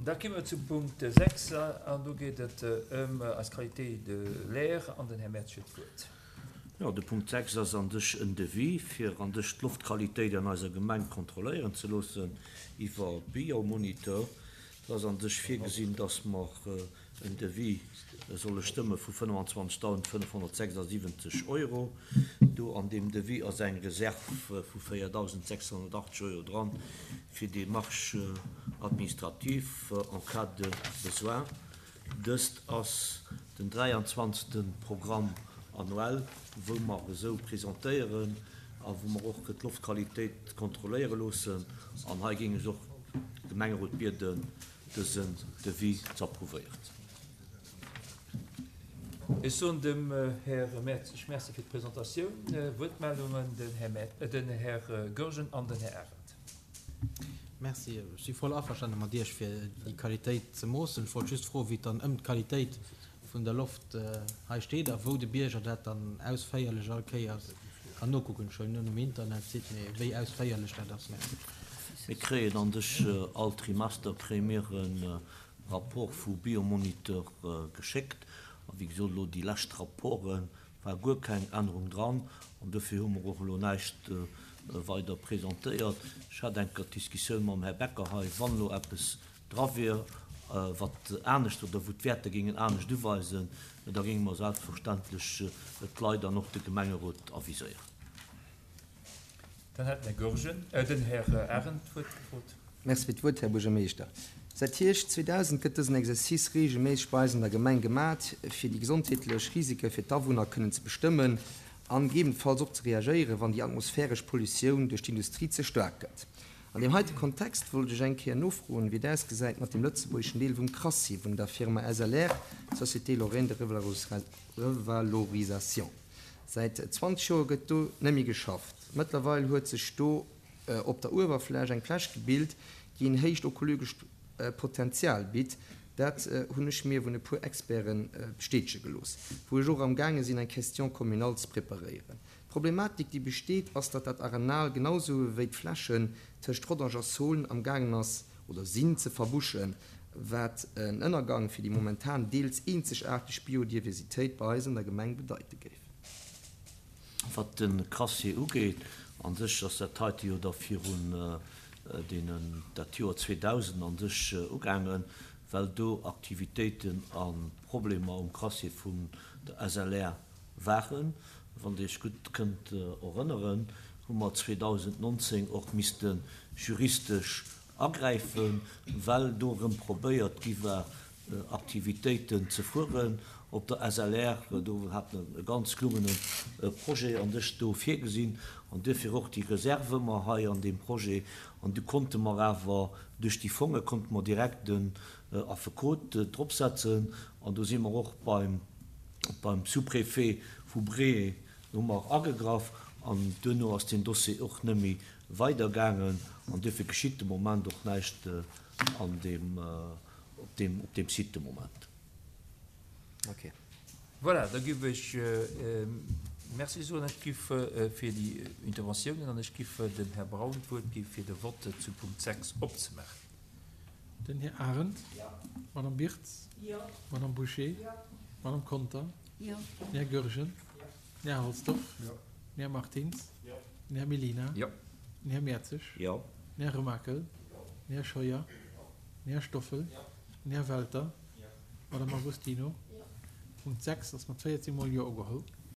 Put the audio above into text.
Da komme mer zum Punkt 6 an do geet et ëm eis Qualité de l'air an den Här Mertz huet d'Wuert. Jo, de Punkt 6 ass an sech en Devis, fir an sech d'Loftqualitéit an eiser Gemeng kontrolléieren ze loossen iwwer Biomonitor. Et ass an sech virgesinn, dass mer en Devis solle stëmme vu 25.576 Euro. Do an deem Devis ass eng Reserv vu 4.680 Euro dran fir Démarches administratives en cas de besoin. Dëst ass den 23. Programme annuel, wou mer esou presentéieren a wou mer och d'Loftqualitéit kontrolléiere loossen. An hei géing ech och de Gemengerot bieden, dësen Devis ze approuvéieren. Ech soen dem Här Mertzig Merci fir d'Presentatioun. Wuertmeldungen, den Här Goergen an den Här Arendt. Merci. Ech si voll averstane mat Iech, fir déi Qualitéit ze moossen. Ech wollt just froen, wéi et dann ëm d'Qualitéit vun der Loft hei steet a wou de Bierger dat dann ausféierlech all Kéiers kann nokucken. Ech huelen un um Internetsite, mee wéi ausféierlech dat ass. Merci. Mir kréien an sech all Trimester kréie mir e Rapport vu Biomonitor geschéckt. A wéi gesot, elo déi lescht Rapporte war guer keng Ännerung dran an dofir hu mer och elo näischt weider presentéiert. Ech hat eng Kéier d'Diskussioun mam Här Becker hei, wann elo eppes dra wier, wat anescht oder wou d'Wäerter géingen anescht uweisen, da géinge mer selbstverständlech d'Leit an och de Gemengerot aviséieren. Dann hätt den Här Goergen, den Här Arendt d'Wuert gefrot. Merci fir d'Wuert, Här Buergermeeschter. Säit Hierscht 2000 gëtt dësen Exercice reegelméisseg bei eis an der Gemeng gemat, fir déi gesondheetlech Risike fir d'Awunner kënnen ze bestëmmen an gegebenfalls och ze reagéieren, wann déi atmosphäresch Pollutioun duerch d'Industrie ze staark gëtt. An deem heite Kontext wollt ech eng Kéier nofroen, wéi et ausgesäit mat dem lëtzebuergeschen Deel vum Crassier vun der Firma SLR, Société Lorraine de Revalorisation. Säit 20 Joer gëtt do net méi geschafft. Mëttlerweil huet sech do op der Uewerfläch eng Fläch gebilt, déi en héicht ökologescht Potenzial bitt. Dat hunn ech mir vun e puer Experte bestätege gelooss, wou ech och am gaange sinn eng Question communale ze preparéieren. D'Problematik, déi besteet, ass, datt dat Arenal genau sou wéi d'Flächen tëscht Rodange a Saulnes am gaangen ass oder sinn ze verbuschen, wat en Ënnergang fir déi momentan deels eenzegaarteg Biodiversitéit bei eis an der Gemeng bedeite géif. Wat de Crassier ugeet, a sech ass dat heite jo da virun deenen, dat Joer 2000 a sech ugaangen, well do Aktivitéiten a Problemer um Crassier vun der SLR waren. Wann Dir Iech gutt kënnt erënneren, hu mer 2019 och misste juristesch agräifen, well do erëm probéiert gi war, Aktivitéiten ze fueren op der SLR. Do hat mer e ganz gelungene Projet an sech do virgesinn an duerfir och déi Reserve mer hei an deem Projet. An du konnte mer awer duerch déi Fonge konnte mer direkt en Affekot dropsetzen an do si mer och beim Beim Sous-préfet vu Bree hu mer agegraff an duerno ass deen Dossier och net méi weider gaangen an duerfir geschitt de Moment och näischt an deem, op deem, op deem Site de Moment. Ok. Voilà, da giff ech Merci soen. Ech giff fir déi Interventiounen an ech giff dem Här Braun d'Wuert gi fir de Vote zu Punkt 6 opzemaachen. Den Här Arendt. D'Madame Birtz. D'Madame Bouché. D'Madame Conter. Den Här Goergen. Den Här Halsdorf. Den Här Martins. Den Här Mellina. Den Här Mertzig. Den Här Remakel. Den Här Scheuer. Den Här Stoffel. Den Här Welter. D'Madame Agostino. Punkt 6 ass mat 14 mol Jo ugeholl.